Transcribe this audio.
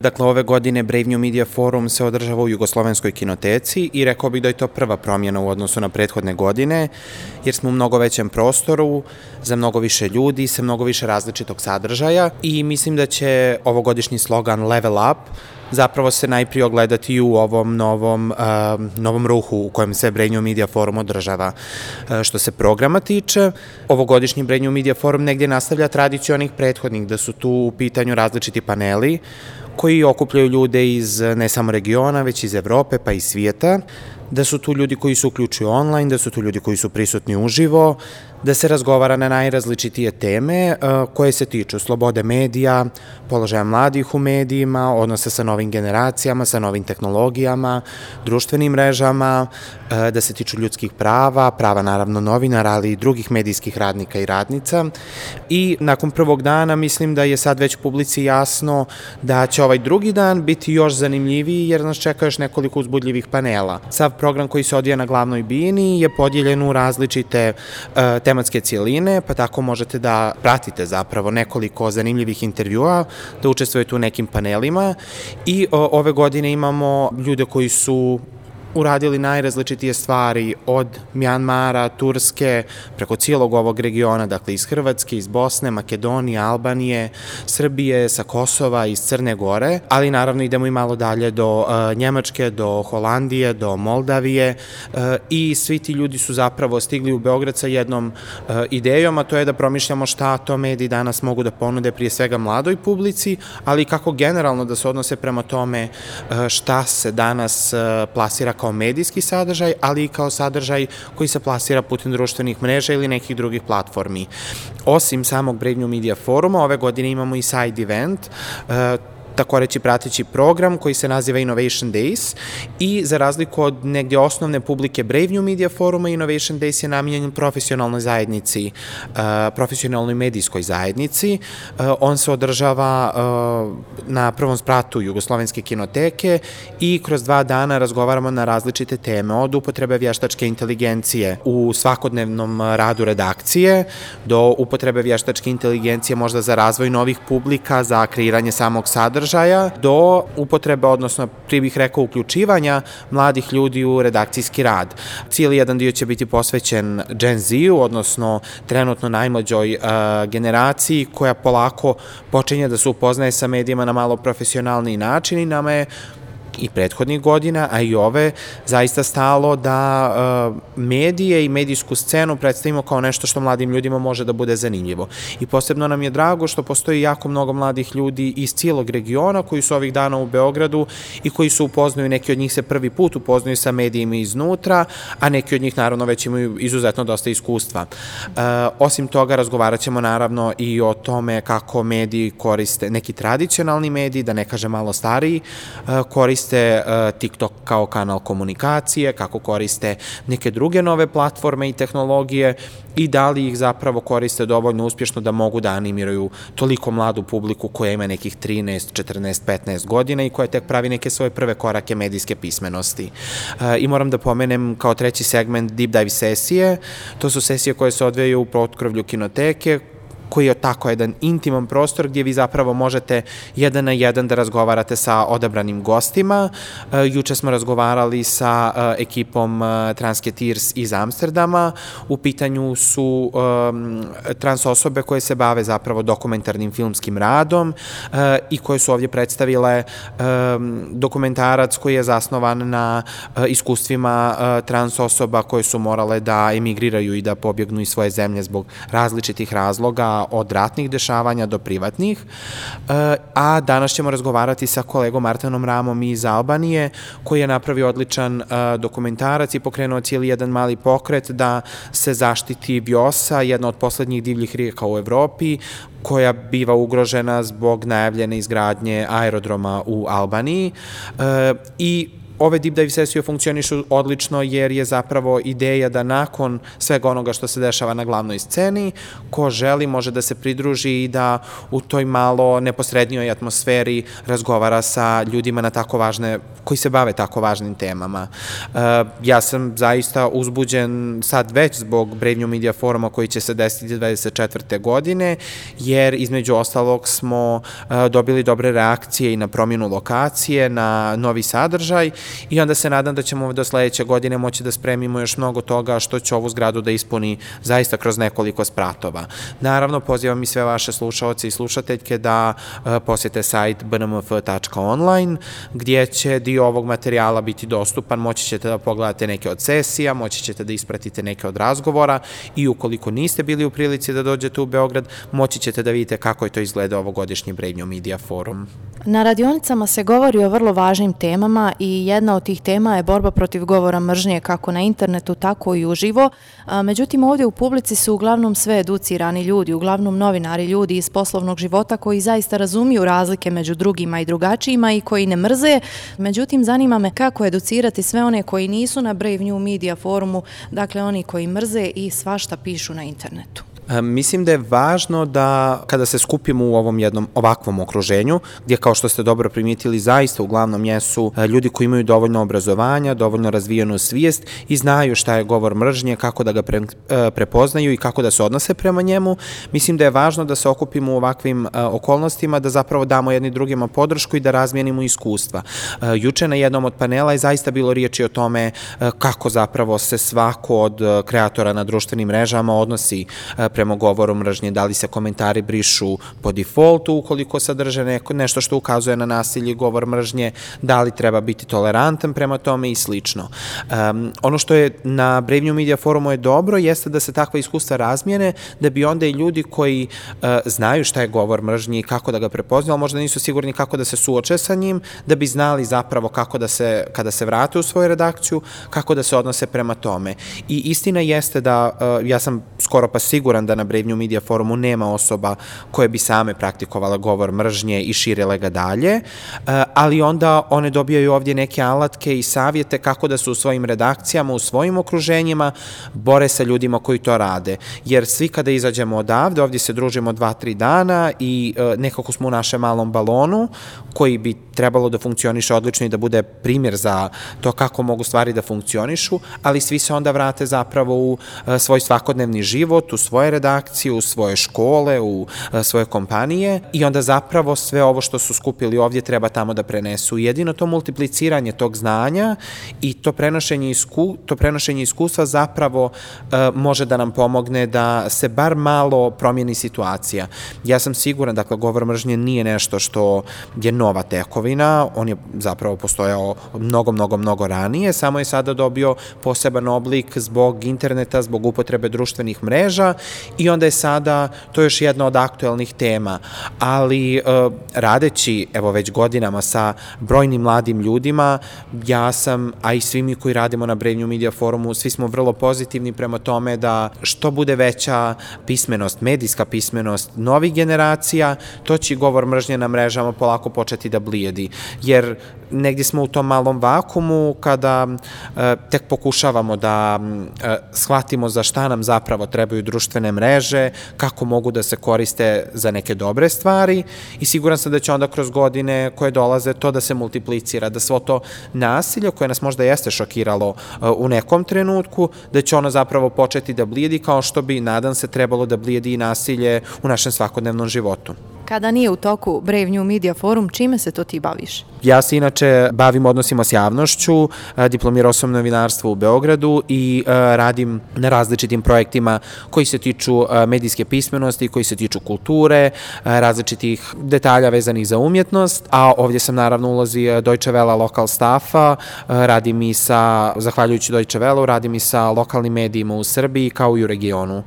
Dakle, ove godine Brave New Media Forum se održava u Jugoslovenskoj kinoteci i rekao bih da je to prva promjena u odnosu na prethodne godine, jer smo u mnogo većem prostoru, za mnogo više ljudi, sa mnogo više različitog sadržaja i mislim da će ovogodišnji slogan Level Up zapravo se najprije ogledati u ovom novom ruhu u kojem se Brave New Media Forum održava. Što se programa tiče, ovogodišnji Brave New Media Forum negdje nastavlja tradiciju onih prethodnih, da su tu u pitanju različiti paneli koji okupljaju ljude iz ne samo regiona, već iz Evrope pa i svijeta, da su tu ljudi koji se uključuju online, da su tu ljudi koji su prisutni uživo, da se razgovara na najrazličitije teme koje se tiču slobode medija, položaja mladih u medijima, odnose sa novim generacijama, sa novim tehnologijama, društvenim mrežama, da se tiču ljudskih prava, prava naravno novinara, ali i drugih medijskih radnika i radnica. I nakon prvog dana mislim da je sad već publici jasno da će ovaj drugi dan biti još zanimljiviji jer nas čeka još nekoliko uzbudljivih panela. Sav program koji se odvija na glavnoj bini je podijeljen u različite tematske cijeline, pa tako možete da pratite zapravo nekoliko zanimljivih intervjua, da učestvujete u nekim panelima i ove godine imamo ljude koji su uradili najrazličitije stvari od Mjanmara, Turske, preko cijelog ovog regiona, dakle iz Hrvatske, iz Bosne, Makedonije, Albanije, Srbije, sa Kosova, iz Crne Gore, ali naravno idemo i malo dalje do Njemačke, do Holandije, do Moldavije i svi ti ljudi su zapravo stigli u Beograd sa jednom idejom, a to je da promišljamo šta to mediji danas mogu da ponude prije svega mladoj publici, ali kako generalno da se odnose prema tome šta se danas plasira kao medijski sadržaj, ali i kao sadržaj koji se plasira putem društvenih mreža ili nekih drugih platformi. Osim samog Brave New Media Foruma, ove godine imamo i side event, tako reći prateći program koji se naziva Innovation Days i za razliku od negdje osnovne publike Brave New Media Foruma, Innovation Days je namijenjen profesionalnoj zajednici, profesionalnoj medijskoj zajednici. On se održava na prvom spratu Jugoslovenske kinoteke i kroz 2 dana razgovaramo na različite teme, od upotrebe vještačke inteligencije u svakodnevnom radu redakcije, do upotrebe vještačke inteligencije možda za razvoj novih publika, za kreiranje samog sadržaja, do upotrebe, odnosno prije bih rekao uključivanja mladih ljudi u redakcijski rad. Cijeli jedan dio će biti posvećen Gen Z-u, odnosno trenutno najmlađoj generaciji koja polako počinje da se upoznaje sa medijima na malo profesionalniji način i nama je i prethodnih godina, a i ove, zaista stalo da medije i medijsku scenu predstavimo kao nešto što mladim ljudima može da bude zanimljivo. I posebno nam je drago što postoji jako mnogo mladih ljudi iz cijelog regiona koji su ovih dana u Beogradu i koji se upoznaju, neki od njih se prvi put upoznaju sa medijima iznutra, a neki od njih naravno već imaju izuzetno dosta iskustva. Osim toga, razgovarat ćemo naravno i o tome kako mediji koriste, neki tradicionalni mediji, da ne kažem malo stariji, koriste TikTok kao kanal komunikacije, kako koriste neke druge nove platforme i tehnologije i da li ih zapravo koriste dovoljno uspješno da mogu da animiraju toliko mladu publiku koja ima nekih 13, 14, 15 godina i koja tek pravi neke svoje prve korake medijske pismenosti. I moram da pomenem kao treći segment Deep Dive sesije. To su sesije koje se odvijaju u potkrovlju kinoteke, koji je tako jedan intiman prostor gdje vi zapravo možete 1 na 1 da razgovarate sa odabranim gostima. Juče smo razgovarali sa ekipom Transketeers iz Amsterdama. U pitanju su trans osobe koje se bave zapravo dokumentarnim filmskim radom i koje su ovdje predstavile dokumentarac koji je zasnovan na iskustvima trans osoba koje su morale da emigriraju i da pobjegnu iz svoje zemlje zbog različitih razloga, od ratnih dešavanja do privatnih, a danas ćemo razgovarati sa kolegom Artenom Ramom iz Albanije, koji je napravio odličan dokumentarac i pokrenuo cijeli jedan mali pokret da se zaštiti Vjosa, jedna od poslednjih divljih rijeka u Evropi, koja biva ugrožena zbog najavljene izgradnje aerodroma u Albaniji i Ove deep dive sesije funkcionišu odlično jer je zapravo ideja da nakon svega onoga što se dešava na glavnoj sceni, ko želi može da se pridruži i da u toj malo neposrednijoj atmosferi razgovara sa ljudima na tako važne, koji se bave tako važnim temama. Ja sam zaista uzbuđen sad već zbog Brave New Media foruma koji će se desiti 24. godine, jer između ostalog smo dobili dobre reakcije i na promjenu lokacije, na novi sadržaj i onda se nadam da ćemo do sledeće godine moći da spremimo još mnogo toga što će ovu zgradu da ispuni zaista kroz nekoliko spratova. Naravno, pozivam i sve vaše slušaoce i slušateljke da posjete sajt bnmf.online gdje će dio ovog materijala biti dostupan, moći ćete da pogledate neke od sesija, moći ćete da ispratite neke od razgovora i ukoliko niste bili u prilici da dođete u Beograd, moći ćete da vidite kako je to izgledao ovogodišnji Brave New Media forum. Na radionicama se govori o vrlo važnim temama i jedna od tih tema je borba protiv govora mržnje kako na internetu, tako i uživo. Međutim, ovdje u publici su uglavnom sve educirani ljudi, uglavnom novinari, ljudi iz poslovnog života koji zaista razumiju razlike među drugima i drugačijima i koji ne mrze. Međutim, zanima me kako educirati sve one koji nisu na Brave New Media forumu, dakle oni koji mrze i svašta pišu na internetu. Mislim da je važno da kada se skupimo u ovom jednom ovakvom okruženju, gdje kao što ste dobro primijetili zaista uglavnom jesu ljudi koji imaju dovoljno obrazovanja, dovoljno razvijenu svijest i znaju šta je govor mržnje, kako da ga prepoznaju i kako da se odnose prema njemu. Mislim da je važno da se okupimo u ovakvim okolnostima, da zapravo damo jedni drugima podršku i da razmijenimo iskustva. Juče na jednom od panela je zaista bilo riječi o tome kako zapravo se svako od kreatora na društvenim mrežama odnosi prema govoru mržnje, da li se komentari brišu po defaultu ukoliko sadrže nešto što ukazuje na nasilje i govor mržnje, da li treba biti tolerantan prema tome i slično. Ono što je na Brave New Media forumu je dobro, jeste da se takva iskustva razmijene, da bi onda i ljudi koji znaju šta je govor mržnje i kako da ga prepoznaju, ali možda nisu sigurni kako da se suoče sa njim, da bi znali zapravo kako da se, kada se vrate u svoju redakciju, kako da se odnose prema tome. I istina jeste da, ja sam skoro pa siguran da na Brave New Media forumu nema osoba koje bi same praktikovala govor mržnje i širile ga dalje, ali onda one dobijaju ovdje neke alatke i savjete kako da se u svojim redakcijama, u svojim okruženjima bore sa ljudima koji to rade. Jer svi kada izađemo odavde, ovdje se družimo 2-3 dana i nekako smo u našem malom balonu koji bi trebalo da funkcioniše odlično i da bude primjer za to kako mogu stvari da funkcionišu, ali svi se onda vrate zapravo u svoj svakodnevni život, u svoje redakcije, u svoje škole, u svoje kompanije i onda zapravo sve ovo što su skupili ovdje treba tamo da prenesu. Jedino to multipliciranje tog znanja i to prenošenje iskustva zapravo može da nam pomogne da se bar malo promijeni situacija. Ja sam siguran, dakle, govor mržnje nije nešto što je nova tekovina, on je zapravo postojao mnogo ranije, samo je sada dobio poseban oblik zbog interneta, zbog upotrebe društvenih mreža i onda je sada to još jedna od aktuelnih tema, ali radeći evo već godinama sa brojnim mladim ljudima, ja sam, a i svi mi koji radimo na Brave New Media forumu, svi smo vrlo pozitivni prema tome da što bude veća pismenost, medijska pismenost novih generacija, to će govor mržnje na mrežama polako početi da blijedi, jer negdje smo u tom malom vakumu kada tek pokušavamo da shvatimo za šta nam zapravo trebaju društvene mreže, kako mogu da se koriste za neke dobre stvari i siguran sam da će onda kroz godine koje dolaze to da se multiplicira, da svo to nasilje koje nas možda jeste šokiralo u nekom trenutku, da će ono zapravo početi da blijedi kao što bi, nadam se, trebalo da blijedi i nasilje u našem svakodnevnom životu. Kada nije u toku Brave New Media forum, čime se to ti baviš? Ja se inače bavim odnosima s javnošću, diplomirao sam novinarstvo u Beogradu i radim na različitim projektima koji se tiču medijske pismenosti, koji se tiču kulture, različitih detalja vezanih za umjetnost, a ovdje sam naravno u ulozi Deutsche Welle lokal staffa, radim i sa, zahvaljujući Deutsche Welleu, radim i sa lokalnim medijima u Srbiji kao i u regionu.